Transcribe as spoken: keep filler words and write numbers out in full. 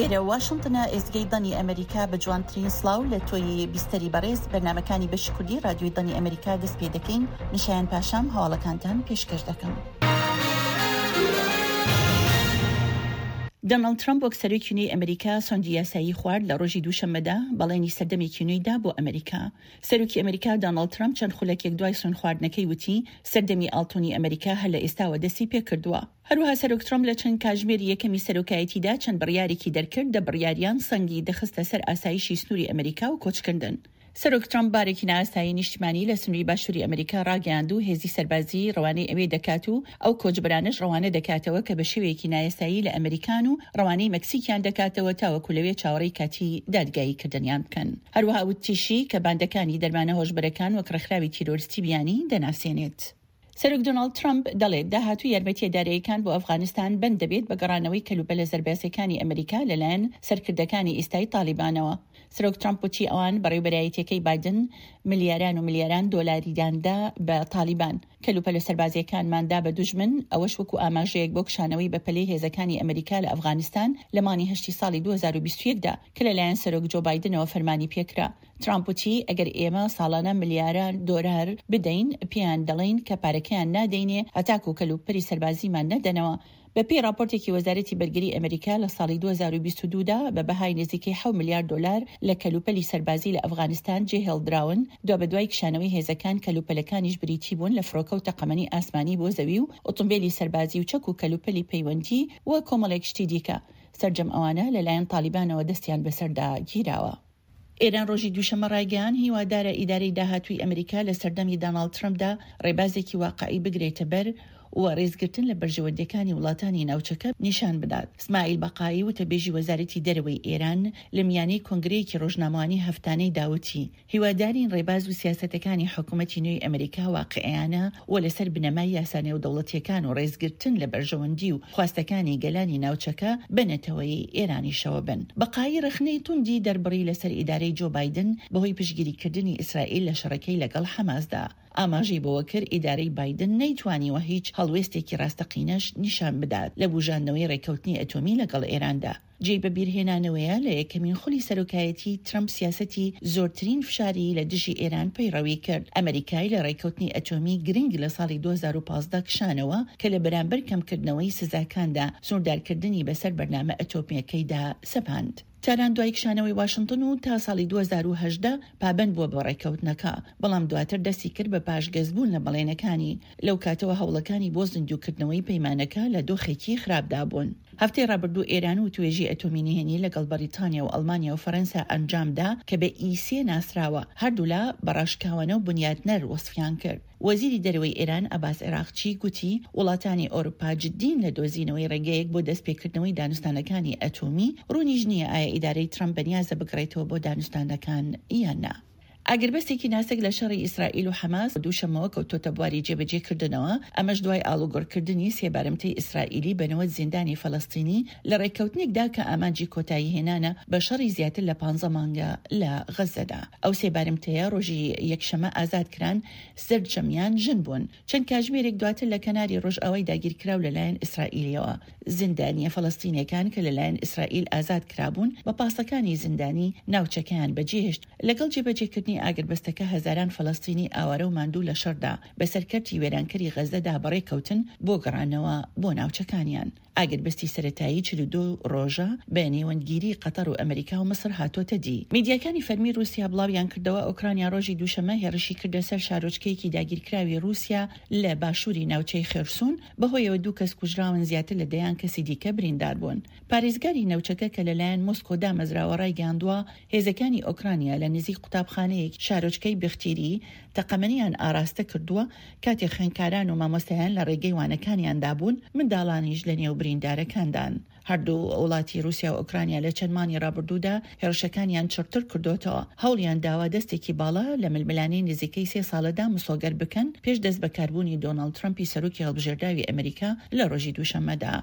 ئێرە واشنتنە، ئێزگەی دەنگی ئەمریکا. بە جوانترین سڵاو لە تۆی بیستەری بەڕێز، بەرنامەکانی بەشی کوردی رادیۆی دەنگی ئەمریکا دەست پێ دەکەین. من شایان پاشام هەواڵەکانتان پێشکەش دەکەم. دۆناڵد ترەمپ وەک سەرۆکی نوێی ئەمریکا سۆندی یاسایی خوارد لە ڕۆژی دووشەممەدا بەڵێنی سەردەمێکی نوێی دا بۆ ئەمریکا. سەرۆکی ئەمریکا دۆناڵد ترەمپ چەند خولەکێک دوای سوێندخواردنەکەی وتی سەردەمی ئاڵتونی ئەمریکا هەر لە ئێستاوە دەستی پێکردووە. هەروەها سەرۆک ترەمپ لە چەند کاژمێری یەکەمی سەرۆکایەتیدا چەند بڕیارێکی دەرکرد، دە بڕیاریان سەنگی دەخستە سەر ئاسایشی سنووری ئەمریکا و کۆچکردن. سەرۆک ترەمپ بارێکی نائاسایی نیشتیمانی لە سنووری باشووری ئەمریکا ڕاگەیاند و هێزی سەربازی ڕەوانەی ئەوێ دەکات و ئەو کۆچبەرانەش ڕەوانە دەکاتەوە کە بە شێوەیەکی نایاسایی لە ئەمریکان و ڕەوانەی مەکسیکیان دەکاتەوە تاوەکو لەوێ چاوەڕێی کاتی دادگاییکردنیان بکەن. هەروەها وتیشی کە باندەکانی دەرمانە هۆشبەرەکان وەک ڕێکخراوی تیرۆریستی بیانی دەناسێنێت. سەرۆک دۆناڵد ترەمپ دەڵێت داهاتووی یارمەتییە داراییەکان بۆ ئەفغانستان بەند دەبێت بە گەڕانەوەی کەلوپەلە سەربازییەکانی ئەمریکا لەلایەن سەرکردەکانی ئیستای تاڵیبانەوە. سەرۆک ترەمپ وتی ئەوان، بەڕێوبەرایەتیەکەی بایدن، ملیاران و ملیاران دۆلاریان دا بە تاڵیبان. کەلوپەلە سەربازییەکانمان دا بە دوژمن، ئەوەش وەکو ئاماژەیەک بۆ کشانەوەی بەپەلەی هێزەکانی ئەمریکا لە ئەفغانستان لە مانگی هەشتی ساڵی دوو هەزار و بیست و یەک دا کە لەلایەن سەرۆک جۆ بایدنەوە فەرمانی پێکرا. ترامپ وتی، ئەگەر ئێمە ساڵانە ملیاران دۆلار بدەین، پێیان دەڵێین کە پارەکەیان نادەینێ هەتاکو کەلوپەلی سەربازیمان نەدەنەوە. بەپێی ڕاپۆرتێکی وەزارەتی بەرگری ئەمریکا لە ساڵی دوو هەزار و بیست و دوو دا بە بەهای نزیکەی حەوت ملیار دۆلار لە کەلوپەلی سەربازی لە ئەفغانستان جێهێڵدراون، دوابەدوای کشانەوەی هێزەکان کەلوپەلەکانیش بریتی بوون لە فڕۆکە و تەقەمەنی ئاسمانی بۆ زەوی و ئۆتۆمبێلی سەربازی و چەک و کەلوپەلی پەیوەندی و کۆمەڵێک شتی دیکە. سەرجەم ئەوانە لەلایەن تاڵیبانەوە دەستیان بەسەردا گیراوە. ئێران ڕۆژی دووشەممە ڕایگەیاند، هیوادارە ئیدارەی داهاتووی ئەمریکا لە سەردەمی داناڵد ترەمپدا ڕێبازێکی واقعی بگرێتە بەر و ڕێزگرتن لە بەرژەوەندییەکانی وڵاتانی ناوچەکە نیشان بدات. سماعیل بەقایی وتەبێژی وەزارەتی دەرەوەی ئێران لە میانەی کۆنگرەیەکی ڕۆژنامەوانی هەفتانەیدا وتی، هیوادارین ڕێباز و سیاسەتەکانی حکومەتی نوێی ئەمریکا واقعیانە و لەسەر بنەمای یاسا نێودەوڵەتییەکان و ڕێزگرتن لە بەرژەوەندی و خواستەکانی گەلانی ناوچەکە بە نەتەوەی ئێرانیشەوە بن. بەقایی ڕەخنەی توندی دەربڕی لەسەر ئیدارەی جۆ بایدن بەهۆی پشتگیریکردنی ئیسرائیل لە شەڕەکەی لەگەڵ حەماسدا. ئاماژەی بەوەکرد، ئیدارەی بایدن نەیتوانیوە هیچ هەڵوێستێکی ڕاستەقینەش نیشان بدات لە بوژاندنەوەی ڕێککەوتنی ئەتۆمی لەگەڵ ئێراندا. جێی بەبیرهێنانەوەیە، لە یەکەمین خولی سەرۆکایەتیی ترەمپ سیاسەتی زۆرترین فشاری لە دژی ئێران پەیڕەوی کرد، ئەمریکای لە ڕێککەوتنی ئەتۆمی گرنگ لە ساڵی دوو هەزار و پازدە کشانەوە کە لە بەرامبەر کەمکردنەوەی سزاکاندا سنووردارکردنی بەسەر بەرنامە ئەتۆمییەکەیدا سەپاند. تاران دوای کشانەوەی واشنتن و تا ساڵی دوو هەزار و هەژدە پابەند بووە بە ڕێککەوتنەکە، بەڵام دواتر دەستی کرد بە پاشگەزبوون لە بەڵێنەکانی، لەو کاتەوە هەوڵەکانی بۆ زیندووکردنەوەی پەیمانەکە لە دۆخێکی خراپدا بوون. هەفتەی ڕابردوو ئێران وتوێژی ئەتۆمی نهێنی لەگەڵ بەریتانیا و ئەڵمانیا و فەرەنسا ئەنجامدا کە بە ئی سێ ناسراوە، هەردوولا بە ڕاشکاوانە و بونیادنەر وەسفیان کرد. وەزیری دەرەوەی ئێران عەباس عێراقچی گوتی، وڵاتانی ئەوروپا جدین لە دۆزینەوەی ڕێگەیەک بۆ دەستپێکردنەوەی دانوستانەکانی ئەتۆمی، ڕوونیش نییە ئایا ئیدارەی ترەمپ بەنیازە بگەڕێتەوە بۆ دانوستانەکان یان نا. ئاگربەستێکی ناسک لە شەڕی ئیسرائیل و حەماس دووشەممەوە کەوتۆتە بواری جێبەجێکردنەوە، ئەمەش دوای ئاڵوگۆڕکردنی سێ بارمتەی ئیسرائیلی بە نەوەد زیندانی فەلەستینی لە ڕێککەوتنێکدا کە ئامانجی کۆتاییهێنانە بە شەڕی زیاتر لە پانزە مانگە لە غەززەدا. ئەو سێ بارمتەیە ڕۆژی یەکشەممە ئازاد کران، سەرجەمیان ژن بوون. چەند کاژمێرێک دواتر لە کەناری ڕۆژئاوای داگیرکراو لەلایەن ئیسرائیلیەوە، زیندانییە فەلەستینیەکان کە لەلایەن ئیسرائیل ئازاد کرابوون بە پاسەکانی زیندانی ناوچەکەیان بەجێهێشت. لەگەڵ جێبەجێکردنی ئاگربەستەکە هەزاران فەلەستینی ئاوارە و ماندوو لە شەڕدا بەسەر کەرتی وێرانکەری غەززەدا بەڕێکەوتن بۆ گەڕانەوە بۆ ناوچەکانیان. ئاگربەستی سەرەتایی چل و دوو ڕۆژە بە نێوەندگیری قەتەڕ و ئەمریکا و میسر هاتۆتە دی. میدیاکانی فەرمی ڕووسیا بڵاویانکردەوە، ئۆکرانیا ڕۆژی دووشەممە هێڕشی کردە سەر شارۆچکەیەکی داگیرکراوی ڕووسیا لە باشووری ناوچەی خێرسون، بەهۆیەوە دوو کەس کوژراون زیاتر لە دەیان کەسی دیکە بریندار بوون. پارێزگاری ناوچەکە کە لەلایەن مۆسکۆ دامەزراوە ڕایگەیاندووە، هێزەکانی ئۆکرانیا لە نزیک قوتابخانەیەکی شارۆچکەی بختیری تەقەمەنیان ئاراستە کردووە، کاتێک خوێندکاران و مامۆستایان لە ڕێگەی وانەکانیاندا بوون، منداڵانیش لەنێو بریندارەکاندان. هەردوو وڵاتی رووسیا و ئۆکرانیا لە چەند مانگی رابردوودا هێڕشەکانیان چڕتر کردۆتەوە، هەوڵیان داوە دەستێکی باڵا لە ململانێی نزیکەی سێ ساڵەدا مسۆگەر بکەن پێش دەستبەکاربوونی دۆناڵد ترەمپی سەرۆکی هەڵبژێردراوی ئەمریکا لە رۆژی دووشەممەدا.